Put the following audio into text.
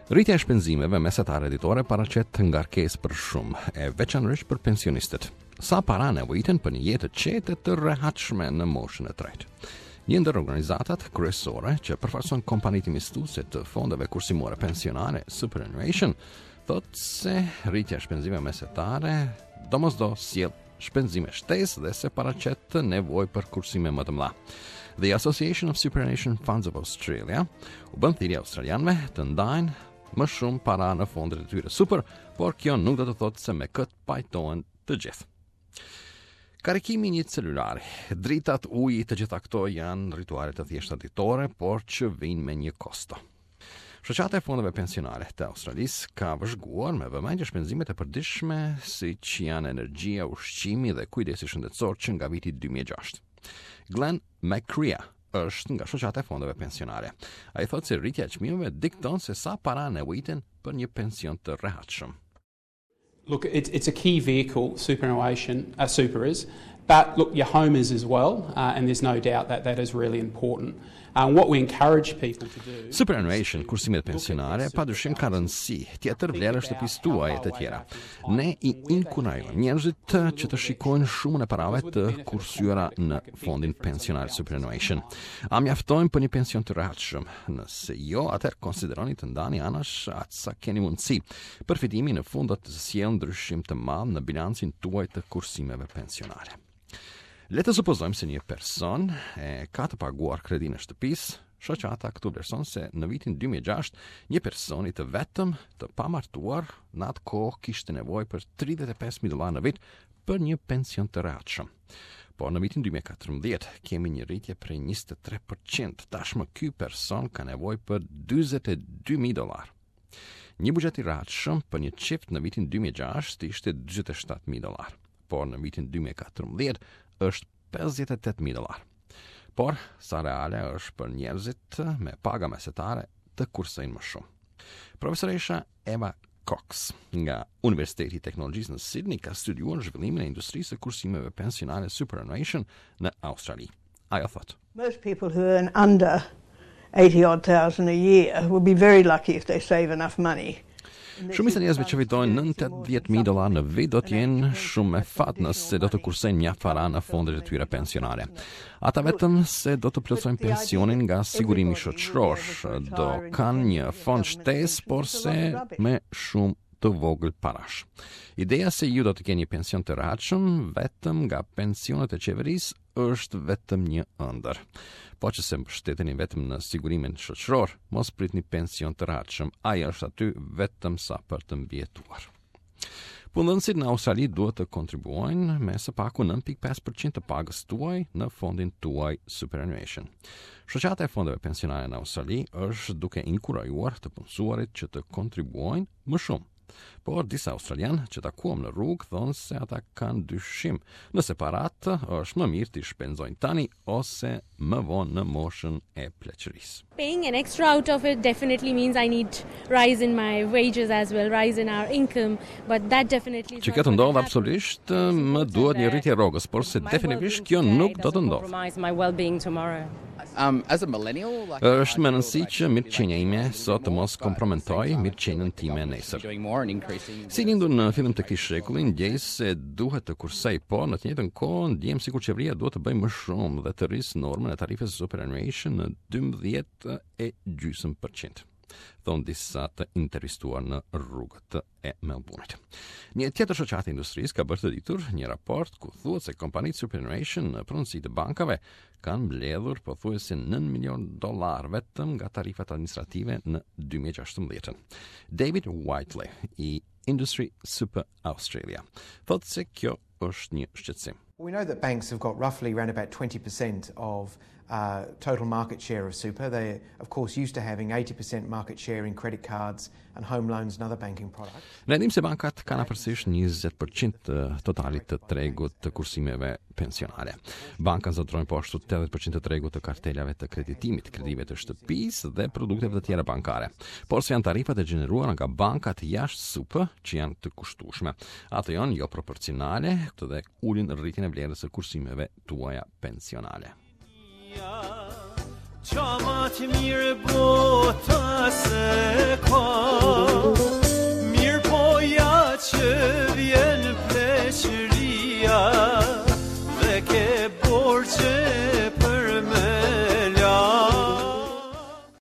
Rritja e shpenzimeve mesatare ditore paraqet ngarkesë për shumë, e veçanërisht për pensionistët. Sa para nevojiten për një jetë të qetë e të rehatshme në moshën e tretë? Një ndër organizatat kryesore që përfaqëson kompanitë investuese të fondeve kursimore pensionale Superannuation thotë se rritja e shpenzimeve mesatare domosdo sjell shpenzime shtesë dhe se paraqet nevojë për kursime më të mëdha. The Association of Superannuation Funds of Australia u bën thirrje australianëve të ndajnë më shumë para në fondet e tyre super, por kjo nuk do të thotë se me këtë pajtohen të gjithë. Karikimi i një celulari, dritat, uji, të gjitha këto janë rituale të thjeshta ditore, por që vijnë me një kosto. Shoqata e Fondeve Pensionale të Australisë ka vëzhguar me vëmendje shpenzimet e përditshme, siç janë energjia, ushqimi dhe kujdesi shëndetësor që nga viti 2006. Glenn McCrea është nga Shoqata e Fondeve Pensionale. Ai thotë se rritja e çmimeve dikton se sa para nevojiten për një pension të rehatshëm. Look, it's, it's a key vehicle, superannuation, uh, super is, but look, your home is as well, uh, and there's no doubt that that is really important. Uh, what we encourage people to do... Superannuation, kursimet pensionale, pa dyshim ka rëndësi, tjetër vlera e shtëpisë tuaj e të tjera. Ne i inkurajojmë njerëzit që të shikojnë shumën e parave të kursyera në fondin pensional superannuation. A mjaftojnë për një pension të rehatshëm? Nëse jo, atëherë konsideroni të ndani anash aq sa keni mundësi. Përfitimi në fund do të sjellë ndryshim të madh në bilancin tuaj të kursimeve pensionale. Le të supozojmë se një person e ka të paguar kredinë e shtëpisë, shoqata këtu vlerëson se në vitin 2006 një personi të vetëm të pamartuar në atë kohë kishte nevojë për 35.000 dollarë në vit për një pension të rehatshëm. Por në vitin 2014 kemi një rritje prej 23%. Tashmë ky person ka nevojë për 42.000 dollarë. Një buxhet i rehatshëm për një çift në vitin 2006 ishte 47.000 dollarë, por në vitin 2014 është 58.000 dollarë. Por, sa reale është për njerëzit me paga mesatare të kursejnë më shumë. Profesoresha Eva Cox nga Universiteti i Teknologjisë në Sydney ka studiuar zhvillimin e industrisë së kursimeve pensionale superannuation në Australi. Ajo thotë. Most people who earn under 80 odd thousand a year will be very lucky if they save enough money. Shumica e njerëzve që fitojnë nën 80.000 dollarë në vit do të jenë shumë me fat nëse do të kursejnë mjaft para në fondet e tyre pensionale. Ata vetëm se do të plotësojnë pensionin nga sigurimi shoqëror, do kanë një fond shtesë, por se me shumë të vogël parash. Ideja se ju do të keni pension të rehatshëm vetëm nga pensionet e qeverisë është vetëm një ëndërr. Po që se mbështeteni vetëm në sigurimin shoqëror, mos pritni pension të rehatshëm, ai është aty vetëm sa për të mbijetuar. Punëdhënësit në Australi duhet të kontribuojnë me së paku 9.5% të pagës tuaj në fondin tuaj superannuation. Shoqata e fondeve pensionale në Australi është duke inkurajuar të punësuarit që të kontribuojnë më shumë. Por disa australianë që takuam në rrugë thonë se ata kanë dyshim nëse paratë është më mirë t'i shpenzojnë tani ose më vonë në moshën e pleqërisë. Paying an extra out of it definitely means I need rise in my wages as well, rise in our income, but that definitely Që kjo të ndodhë absolutisht më duhet një rritje e rrogës, por se definitivisht kjo nuk do të ndodhë. Um, as a millennial, like Është me rëndësi që mirëqenia ime sot të mos kompromentojë mirëqenien time nesër. Si lindur në fillim të këtij shekulli, ndjej se duhet të kursej, por në të njëjtën kohë ndjem sikur qeveria duhet të bëjë më shumë dhe të rrisë normën e tarifës superannuation në 12 e gjysmë përqind. Thonë disa të intervistuar në rrugët e Melbourne-it. Një tjetër shoqatë e industrisë ka bërë të ditur një raport ku thuhet se kompanitë superannuation në pronësi të bankave kanë mbledhur pothuajse 9 milion dollar vetëm nga tarifat administrative në 2016. David Whiteley i Industry Super Australia thotë se kjo është një shqetësim. We know that banks have got roughly around about 20% of uh, total market share of super. They of course used to having 80% market share in credit cards and home loans and other banking products. Ne dimë se bankat kanë afërsisht 20% të totalit të tregut të kursimeve pensionale. Bankat zotërojnë po ashtu 80% të tregut të kartelave të kreditimit, kredive të shtëpisë dhe produkteve të tjera bankare. Por se janë tarifat e gjeneruara nga bankat jashtë super që janë të kushtueshme. Ato janë jo proporcionale dhe ulin rritjen e vlerës së kursimeve tuaja pensionale. Qa ma të mirë bota se ka. që vjen pleqëria dhe ke borxhe.